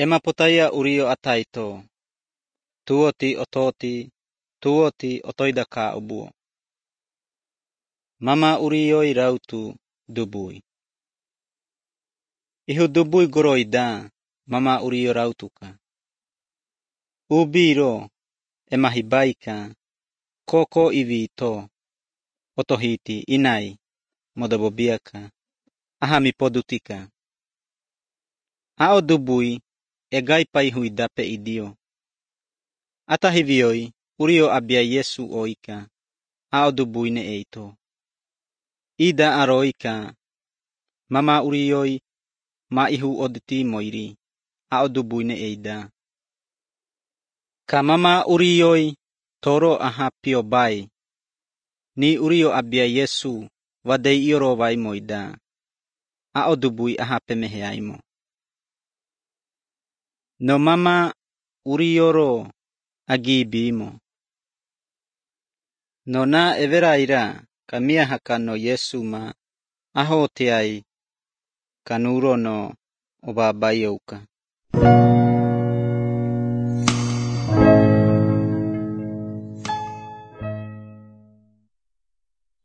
Ema potaya urio ataito. Tuoti otoida ka ubuo. Mama urioi rautu dubui. Ihu dubui goroida mama urio rautuka. Ubiro ema hibaika koko ivito otohiti inai modabobiaka ahami podutika. Ao dubui egai pai huidape idio. Atahivioi urio abia Yesu oika. Ao dubui ne eito. Ida aroika mama urioi ma ihu oditi moiri. Ao dubui ne eida. Ka mama urioi toro aha pio bai. Ni urio abia Yesu wadei ioro vai moida. Ao dubui aha pemeheaimo. No mama urioro agibimo. No na everaira kamia hakano Yesu ma aho teai kanuro no obabayouka.